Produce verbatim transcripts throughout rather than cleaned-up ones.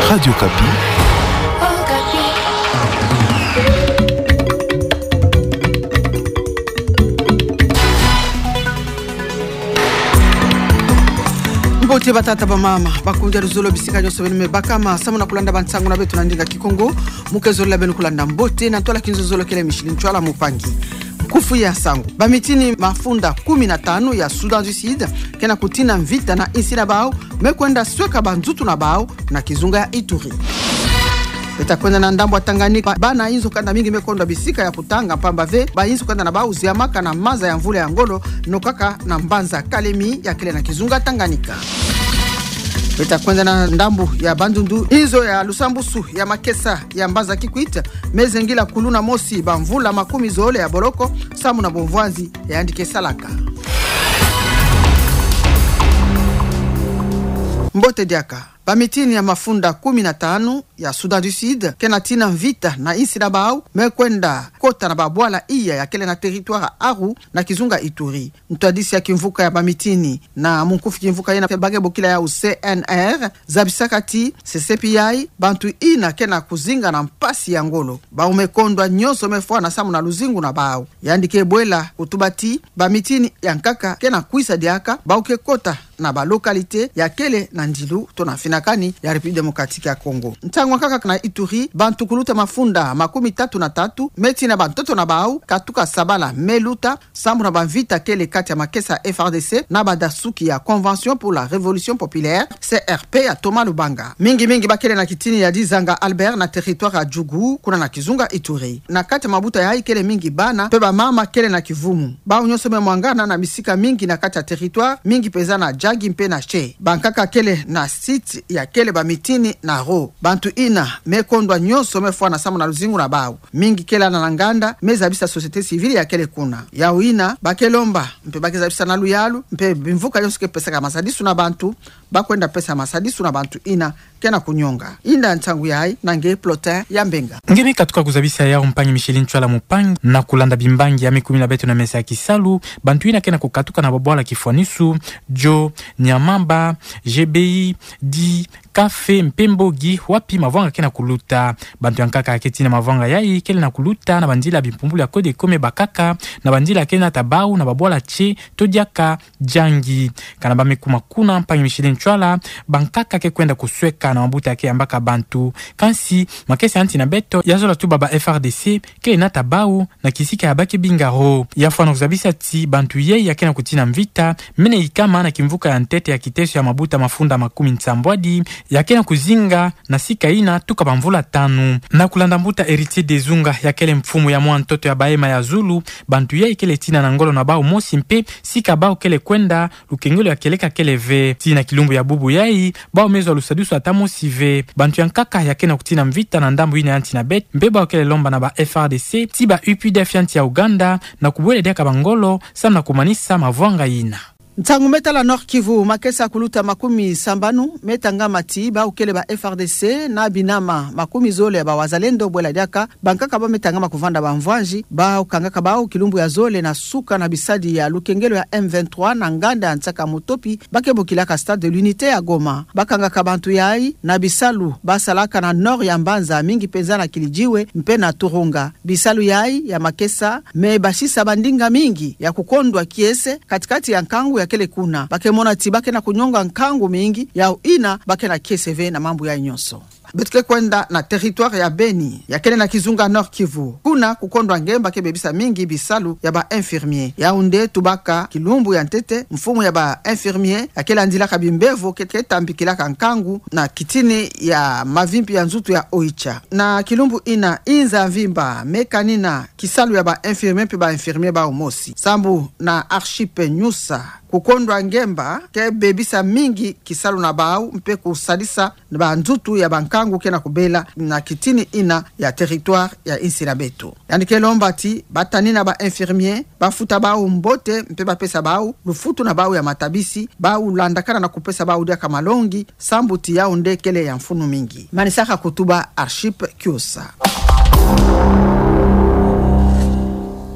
Radio Okapi. Mbote batata, bamama, bakundi ya luzolo, bisika nyonso beno me bakama, samu na kulanda bansangu na beto na ndinga Kikongo. Mu ke zolila beno kulanda mbote na ntwala kinzozolo kele Micheline Ntshwala Mupangi. Nkufi ya nsangu. Bamitini mafunda kumi na tanu ya Soudan du Sud ke na kutina mvita na insi na bau, me kwenda sweka banzutu na bau na kizunga ya Ituri. Beta kwenda na ndambu ya Tanganyika, ba-, bana inzo kanda mingi me kondwa bisika ya kutanga, mpamba ve ba inzo kanda na bau ziamaka na maza ya mvula ya ngolo, nokaka na mbanza Kalemi ya kele na kizunga Tanganyika. Beta kwenda na ndambu ya Bandundu, inzo ya lusambusu ya makesa ya mbanza Kikwit me zengila kuluna mosi bamvula makumi zole ya boloko, samu na bumvwanzi yandi ke salaka. Mbote diaka. Bamitini ya mafunda kumi na tanu ya Soudan du Sud ke na tina mvita na insi na bau, me kwenda kota na babwala iya ya kele na territoire ya Aru na kizunga Ituri. Ntwadisi ya kimvuka ya bamitini na munkufi kimvuka yina ba ke bokila yau C N R, zabisaka ti sesepi yai, bantu ina ke na kuzinga na mpasi ya ngolo. Bau me kondwa nyonso me fwana samu na luzingu na bau. Yandi ke bwela kutuba ti bamitini ya nkaka ke na kwisa diaka, bau ke kota na ba localité ya kele na ndilu to na mfinakani ya République Démocratique ya Congo. Ntangu ya nkaka na Ituri, bantu kuluta mafunda makumi tatu na tatu me tina bantoto na bau katuka sabala me luta, samu na bamvita kele kati ya makesa F A R D C na badasuki ya Convention pour la Révolution Populaire, C R P, ya Thomas Lubanga. Mingi mingi ba kele na kitini ya Dizanga Albert na territoire ya Djugu, kuna na kizunga Ituri. Na kati ya mabuta yai kele mingi bana mpe bamama kele na kivumu. Bau nyonso me mwangana na bisika mingi na kati ya territoire, mingi mpenza na Djagi mpe na Tché. Bankaka kele na site ya kele bamitini na Ro. Bantu ina me kondwa nyonso me fwana samu na luzingu na bau. Mingi kele na nganda me zabisa société civile ya kele kuna. Yau ina ba ke lomba mpe ba ke zabisa na luyalu mpe bimvuka nyonso ke pesaka masadisu na bantu, ba kwenda pesa masadisu na bantu ina ke na kunyonga. Inda ntangu yai na nge Plotin ya Mbenga. Nge me katuka kuzabisa yau, mpangi Micheline Ntshwala Mupangi, na kulanda bimbangi ya me kumina beto na mesa ya kisalu. Bantu ina ke na kukatuka na babwala kifwanisu, Djo, Nyamamba, G B I, Di, Kafe mpe Mbogi, wapi mavwanga ke na kuluta. Bantu ya nkaka ke tina mavwanga yai kele na kuluta na banzila bimpumbulu ya Codeco me bakaka na banzila ke nata bau na babwala Tché to diaka Djangi. Kana ba me kuma kuna, mpangi Micheline Ntshwala, bankaka ke kwenda kusweka na mabuta ke yambaka bantu. Kansi makesa ya nti na beto ya zola tuba ba F A R D C ke nata bau na kisika ya ba ke binga Ro. Ya fwana kuzabisa ti bantu yai ya ke na kutina mvita mene ikama na kimvuka ya ntete ya kiteso ya mabuta mafunda makumi nsambwadi ya ke na kuzinga na sika ina tuka bamvula tanu. Na kulanda mbuta Héritier Dezunga, ya kele mfumu ya mwa ntoto ya Bahema ya Zulu, bantu yai kele tina na ngolo na bau mosi mpe sika bau kele kwenda, lukengelo ya kieleka kele ve. Tii na kilumbu ya bubu yai, bau me zwa lusadisu ata mosi ve. Bantu ya nkaka ya ke na kutina mvita na ndambu ina ya nti na beto, mpe bau kele lomba na ba F A R D C ti ba U P D F ya nti ya Ouganda na kubwela diaka bangolo, samu na kumanisa mavwanga ina. Ntangu me tala Nord-Kivu, makesa kuluta makumi sambanu me tangama ti bau kele ba F R D C na binama makumi zole ya ba Wazalendo bwela diaka bankaka bau me tangama kuvanda bamvwanzi, bau kangaka bau kilumbu ya zole na suka na bisadi ya lukengelo ya M vingt-trois na nganda ya nsaka Mutopi, ba ke bokilaka Stade de l'Unité ya Goma. Ba kangaka bantu yai na bisalu ba salaka na nord ya mbanza, mingi mpenza na Kili-Djiwe mpe na Turunga. Bisalu yai ya makesa me basisa bandinga mingi ya kukondwa kiese kati-kati ya nkangu ya kele kuna. Ba ke mona ti ba ke na kunyonga nkangu mingi, yau ina ba ke na kiese ve na mambu yai nyonso. Beto ke kwenda na territoire ya Beni, ya kele na kizunga Nord-Kivu. Kuna kukondwa ngemba ke bebisa mingi bisalu ya ba infirmiers. Yau nde tubaka kilumbu ya ntete mfumu ya ba infirmiers ya ke landilaka bimbevo ke, ke tambikilaka nkangu na kitini ya mavimpi ya nzutu ya Oicha. Na kilumbu ina, inza mvimba me kanina kisalu ya ba infirmiers mpe ba infirmiers bau mosi. Sambu na Archipe Nyusa, kukondwa ngemba ke bebisa mingi kisalu na bau mpe kusadisa banzutu ya bankangu ke na kubela na kitini ina ya territoire ya insi na beto. Yandi ke lomba ti ba tanina ba infirmiers, ba futa bau mbote mpe ba pesa bau lufutu na bau ya matabisi, bau landakana na kupesa bau diaka malongi, sambu ti yau nde kele ya mfunu mingi. Manisaka kutuba Archipe Kiosa.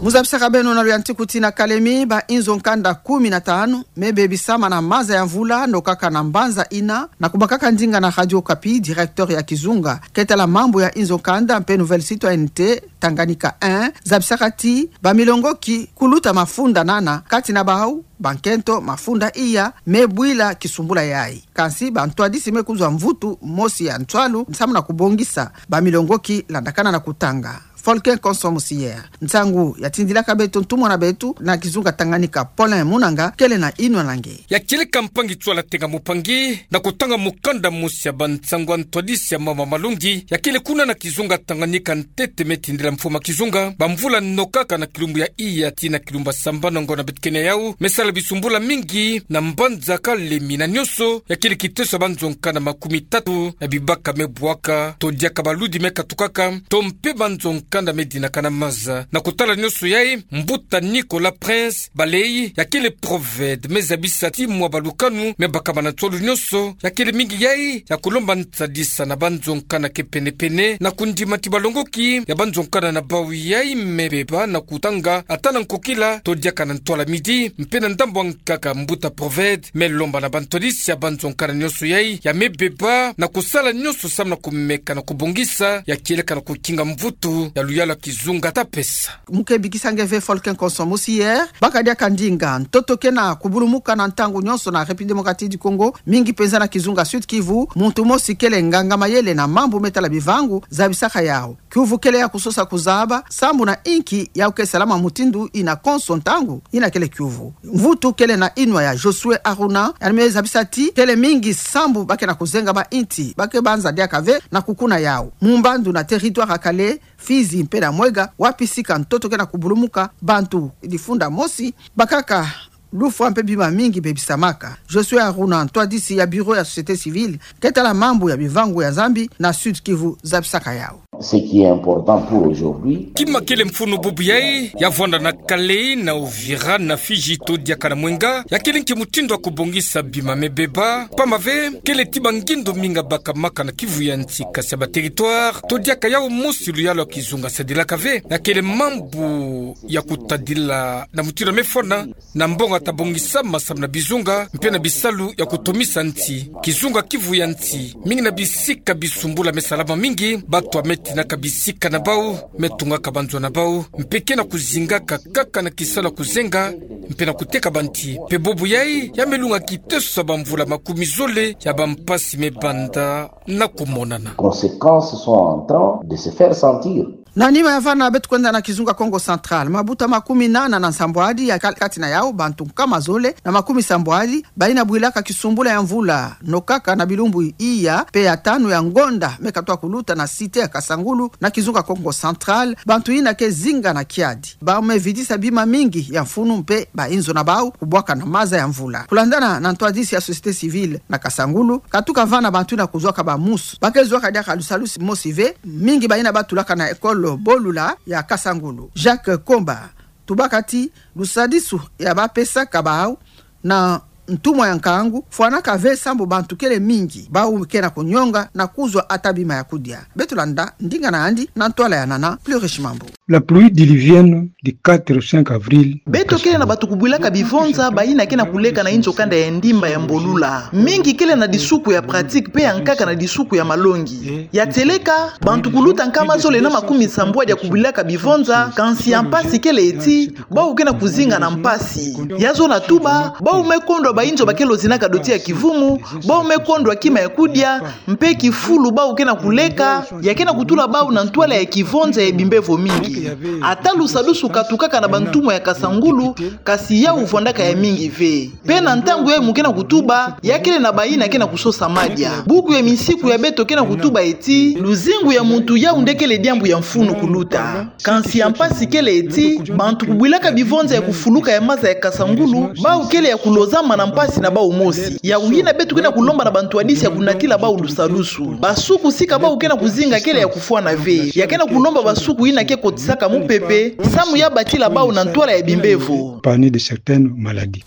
Zabisaka beno na luyantiku ti na kalemi, ba inzo nkanda kumi na tanu me bebisama na maza ya mvula nokaka na mbanza ina. Na kubakaka ndinga na Radio Okapi, directeur ya kizunga ketala mambu ya inzo nkanda mpe Nouvelle Citoyenneté, Tanganyika un, zabisaka ti ba milongoki kuluta mafunda nana, kati na bau ba nkento mafunda iya me bwila kisumbula yayi. Kansi ba ntwadisi me kuzwa mvutu mosi ya ntwalu samu na kubongisa ba milongoki landakana na kutanga. Folken Konso Musiyer, nsangu ya tindilaka beto ntumwa na beto na kizunga Tanganyika, Paulin Munanga, kele na inwa na nge. Ya kieleka mpangi Tswala Tenga Mupangi na kutanga mukanda mosi ya ba nsangu ya ntwadisi ya mama malongi ya kele kuna na kizunga Tanganyika, ntete me tindila mfumu a kizunga ba mvula nokaka na kilumbu ya iya tii na kilumbu ya sambanu ngiona beto kena yau me sala bisumbula mingi na mbanza kalemi na nionso ya kele kiteso ya ba nzo nkanda makumi tatu na bibaka me bwaka, to diaka baludi me katukaka, to mpe ba nzo nkanda me dinaka na maza. Na kutala nionso yayi, mbuta Nicolas Prince Balei ya kele Proved me zabisa ti mwa balukanu me bakama na ntwalu nionso ya kele mingi yayi ya kulomba ntadisa na ba nzo nkanda ke penepene na kundima ti balongoki ya ba nzo nkanda na bau yayi me beba na kutanga ata na nkokila to diaka na ntwala midi. Mpe na ndambu ya nkaka, mbuta Proved me lomba na ba ntwadisi ya ba nzo nkanda nionso yayi ya me beba na kusala nionso samu na kumeka na kubongisa ya kieleka na kukinga mvutu ya luyalu ya kizunga ta pesa. Mu ke bikisa nge ve Folken Konso Musiyer, baka diaka ndinga ntoto ke na kubulumuka na ntangu nionso na République Démocratique du Congo, mingi penza na kizunga Sud-Kivu. Muntu mosi kele nganga mayele na mambu me tala bivangu zabisaka yau: kiuvu kele ya kusosa kuzaba sambu na inki yau ke salama mutindu ina konso ntangu ina kele kiuvu. Mvutu kele na inwa ya Josué Aruna, yandi me zabisa ti kele mingi sambu ba ke na kuzenga ba inti ba ke banza diaka ve na kukuna yau. Mu mbandu na territoire ya Kale, Fizi mpe na Mwega, wapi sika ntoto ke na kubulumuka, bantu difunda mosi bakaka lufwa mpe bima mingi bebisamaka. Josué Aruna, ntwadisi ya bureau ya société civile ketala mambu ya bivangu ya Nzambi na Sud-Kivu, zabisaka yau: Ce qui est important pour aujourd'hui, kima kele mfunu bubu yayi ya vwanda na Kale, na Uvira, na Fizi to diaka na Mwenga, ya kele nki mutindu ya kubongisa bima me beba, pamba ve kele ti ba ngindu mingi bakamaka na kivu ya nsi, kasi ya ba territoire to diaka yau mosi luyalu ya kizunga sadilaka ve. Ya kele mambu ya kutadila na mutindu ya me fwana na mbongo ta bongisama samu na bizunga mpe na bisalu ya kutomisa nsi. Kizunga kivu ya nsi, mingi na bisika bisumbula me salama mingi, batu ya me tinaka bisika na bau, me tungaka ba nzo na bau, mpe ke na kuzingaka kaka na kisalu ya kuzenga mpe na kuteka ba nsi. Mpe bubu yayi ya me lunga kiteso ya ba mvula makumi zole ya ba mpasi me banda na kumonana. Conséquences sont en train de se faire sentir. Na nima ya vana, beto kwenda na kizunga Kongo Central. Mabuta makumi nana na nsambwadi ya kal-, kati na yau bantu nkama zole na makumi sambwadi bayina bwilaka kisumbula ya mvula nokaka na bilumbu iya mpe ya tanu ya ngonda me katwa kuluta na cité ya Kasangulu, na kizunga Kongo Central, bantu yina ke zinga na kiadi. Bau me vidisa bima mingi ya mfunu mpe ba inzo na bau kubwaka na maza ya mvula. Kulandana na ntwadisi ya société civile na Kasangulu, katuka vana bantu yina kuzwaka ba musu. Ba ke zwaka diaka lusalusu mosi ve, mingi bayina ba tulaka na école Bolula ya Kasangulu. Jacques Komba tubaka ti lusalusu ya ba pesaka bau na ntumwa ya nkangu fwanaka ve sambu bantu kele mingi bau ke na kunyonga na kuzwa ata bima ya kudia. Beto landa ndinga na yandi na ntwala ya nana Plurish Mambu. La pluie diluvienne du quatre au cinq avril. Beto kele na bantu kubwilaka bivonza bayina ke na kuleka na inzo kanda ya ndimba ya Mbolula. Mingi kele na disuku ya pratique mpe ya nkaka na disuku ya malongi. Ya tieleka, bantu kuluta nkama zole na makumi sambwadi ya kubwilaka bivonza, kansi ya mpasi kele ti bau ke na kuzinga na mpasi. Ya zona tuba, bau me kondwa ba inzo ba ke lozinaka doti ya kivumu, bau me kondwa kima ya kudia, mpe kifulu bau ke na kuleka, ya ke na kutula bau na ntwala ya kivonza ya bimbevo mingi. Ata lusalusu katukaka na bantumwa ya Kasangulu, kasi yau vwandaka ya mingi ve. Mpe na ntangu yayi mu ke na kutuba, ya kele na bayina ke na kusosa madia. Buku ya minsiku ya beto ke na kutuba ti luzingu ya muntu yau nde kele diambu ya mfunu kuluta. Kansi ya mpasi kele ti bantu kubwilaka bivonza ya kufuluka ya maza ya Kasangulu, bau kele ya kulozama na mpasi na bau mosi. Yau yina beto ke na kulomba na bantwadisi ya kunatila bau lusalusu. Basuku sika bau ke na kuzinga kele ya kufwana ve. Ya ke na kulomba basuku yina ke kotisaka mupepe, samu ya batila bau na ntwala ya bimbevo. Panier de certaines maladies.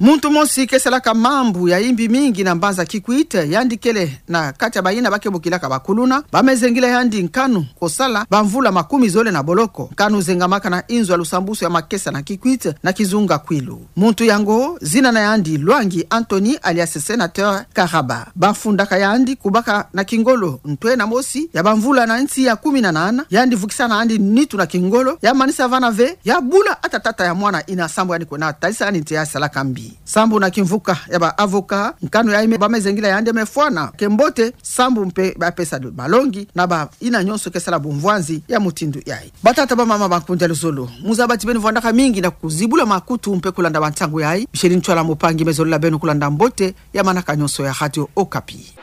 Muntu mosi ke salaka mambu ya imbi mingi na mbanza Kikwit, yandi kele na kati ya bayina ba ke bokilaka ba kuluna, ba me zengila yandi nkanu kosala bamvula makumi zole na boloko. Nkanu zengamaka na inzo ya lusambusu ya makesa na Kikwit, na kizunga Kwilu. Muntu yango, zina na yandi Lwangi Anthony alias Senateur Karaba. Ba fundaka yandi kubaka na kingolo ntwena mosi ya bamvula na nsi ya kumi na nana, yandi vukisa na yandi nitu na kingolo, ya manisa vana ve, ya bula ata tata ya mwana ina sambu yandi kwena talisa yandi nte ya salaka mbi. Sambu na kimvuka ya ba avocat, nkanu yayi me, ba me zengila yandi me fwana ke mbote, sambu mpe ba pesa malongi na bayina nyonso ke sala bumvwanzi ya mutindu yayi. Batata, bamama, bankundi ya luzolo, muzaba ti beno vwandaka mingi na kuzibula makutu mpe kulanda bansangu yayi. Micheline Ntwala Mupangi me zolila beno kulanda mbote ya manaka nyonso ya Radio Okapi.